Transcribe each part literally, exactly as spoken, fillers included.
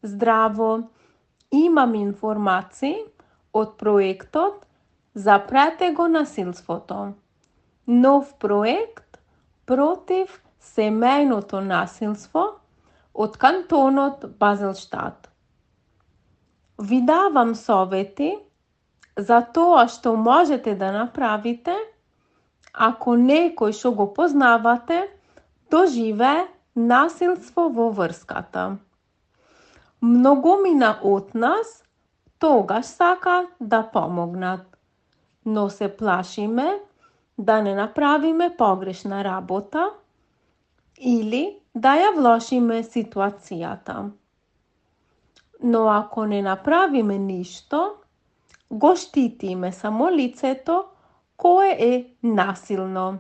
Здраво, имам информации од проектот за претего насилството. Нов проект против семејното насилство од кантонот Базелштат. Ви давам совети за тоа што можете да направите ако некој што го познавате доживее насилство во врската. Многумина од нас тогаш сака да помогнат, но се плашиме да не направиме погрешна работа или да ја влошиме ситуацијата. Но ако не направиме ништо, го штитиме само лицето кое е насилно.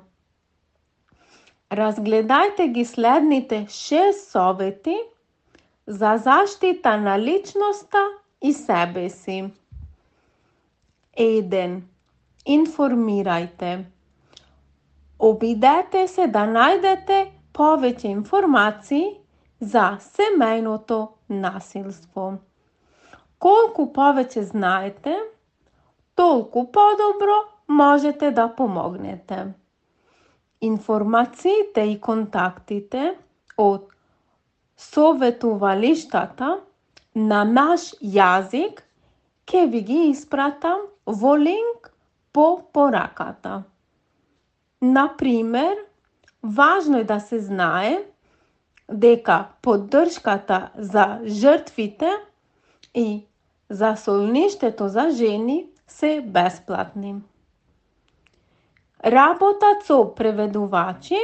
Разгледајте ги следните шест совети за заштита на личноста и себе си. еден. Информирајте. Обидете се да најдете повеќе информации за семејното насилство. Колку повеќе знаете, толку подобро можете да помогнете. Информациите и контактите од советувалиштата на наш јазик ќе ви ги испратам во линк по пораката. Например, важно е да се знае дека поддршката за жртвите и за солништето за жени се бесплатни. Работат со преведувачи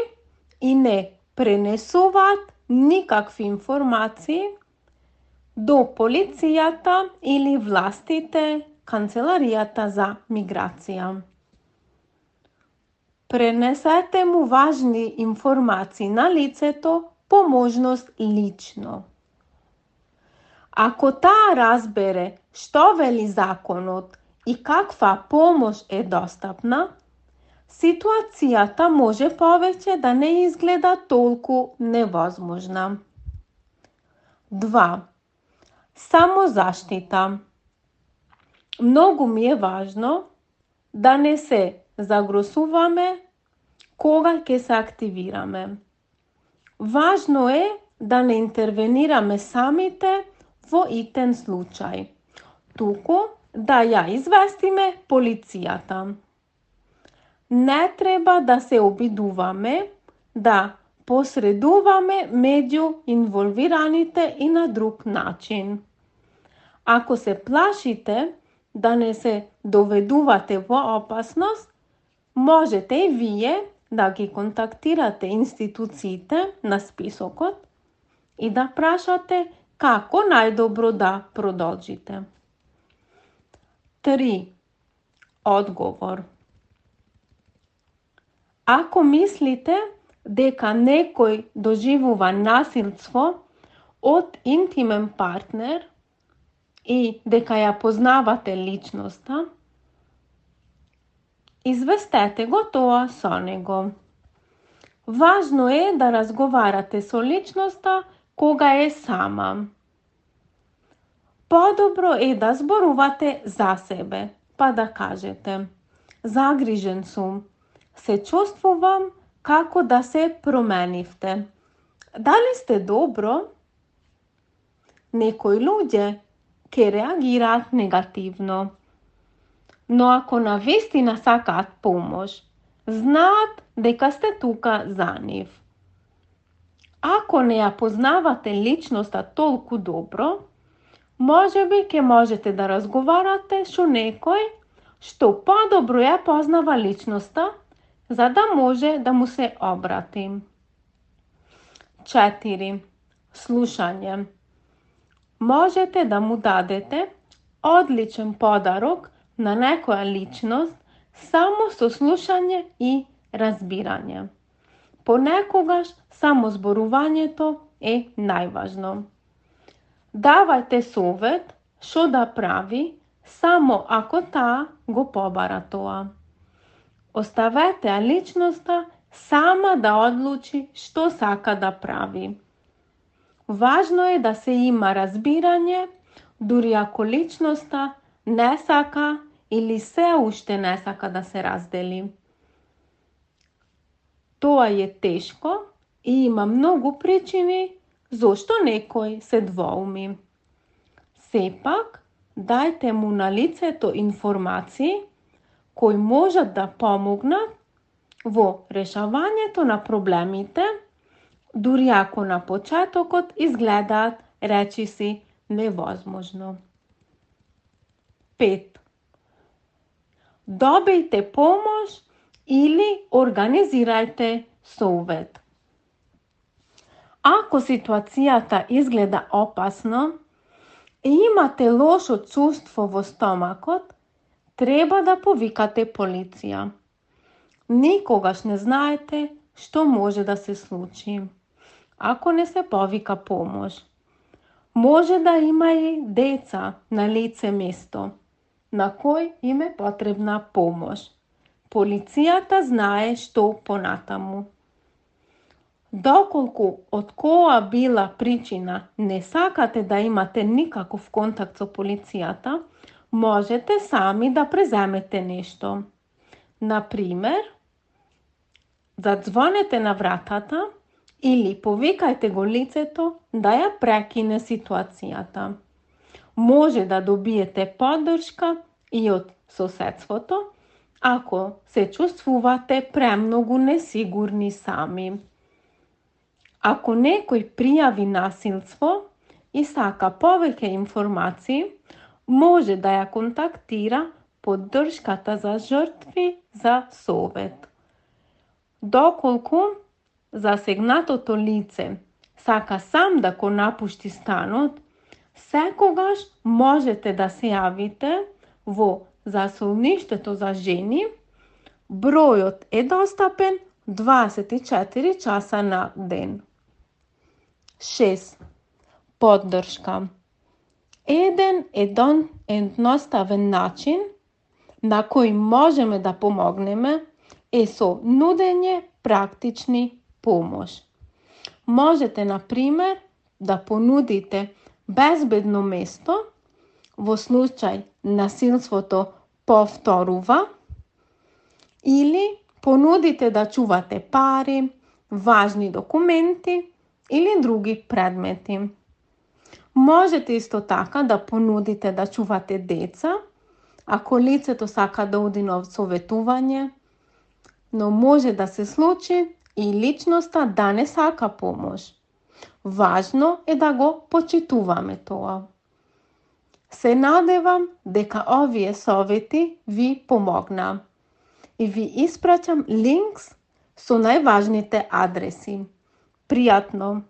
и не пренесуваат никакви информации до полицијата или властите, канцеларијата за миграција. Пренесете му важни информации на лицето по можност лично. Ако таа разбере што вели законот и каква помош е достапна, ситуацијата може повеќе да не изгледа толку невозможна. два. Самозаштита. Многу ми е важно да не се загросуваме кога ќе се активираме. Важно е да не интервенираме самите во итен случај, туку да ја известиме полицијата. Не треба да се обидуваме да посредуваме меѓу инволвираните и на друг начин. Ако се плашите да не се доведувате во опасност, можете и вие да ги контактирате институциите на списокот и да прашате како најдобро да продолжите. три. Одговор. Ако мислите дека некој доживува насилство од интимен партнер и дека ја познавате личноста, известете го тоа со него. Важно е да разговарате со личноста кога е сама. Подобро е да зборувате за себе, па да кажете: загрижен сум, се чувствувам како да се променивте. Дали сте добро? Некои луѓе ќе реагираат негативно, но ако навистина сакаат помош, знаат дека сте тука за нив. Ако не ја познавате личноста толку добро, можеби ќе можете да разговарате со некој што подобро ја познава личноста, за да може да му се обрати. четири. Слушање. Можете да му дадете одличен подарок на некоја личност само со слушање и разбирање. Понекогаш само зборувањето е најважно. Давајте совет што да прави само ако таа го побара тоа. Оставете ја личноста сама да одлучи што сака да прави. Важно е да се има разбирање, дури ако личноста не сака или се уште не сака да се раздели. Тоа е тешко и има многу причини зошто некој се двоуми. Сепак, дајте му на лицето информации кои можат да помогнат во решавањето на проблемите, дури ако на почетокот изгледаат речиси невозможно. пет. Добијте помош или организирајте совет. Ако ситуацијата изгледа опасно и имате лошо чувство во стомакот, треба да повикате полиција. Никогаш не знаете што може да се случи ако не се повика помош. Може да има и деца на лице место на кој им е потребна помош. Полицијата знае што понатаму. Доколку од која била причина не сакате да имате никаков контакт со полицијата, можете сами да преземете нешто. Например, задзвонете на вратата или повикајте го лицето да ја прекине ситуацијата. Може да добиете поддршка и од соседството, ако се чувствувате премногу несигурни сами. Ако некој пријави насилство и сака повеќе информации, може да ја контактира поддршката за жртви за совет. Доколку засегнатото лице сака сам да го напушти станот, секогаш можете да се јавите во засолништето за жени. Бројот е достапен дваесет и четири часа на ден. шест. Поддршка. Еден едон едноставен начин на кој можеме да помогнеме е со нудење практични помош. Можете, например, да понудите безбедно место во случај насилството повторува или понудите да чувате пари, важни документи или други предмети. Можете исто така да понудите да чувате деца, ако лицето сака да оди на советување, но може да се случи и личноста да не сака помош. Важно е да го почитуваме тоа. Се надевам дека овие совети ви помогна и ви испраќам линкс со најважните адреси. Пријатно!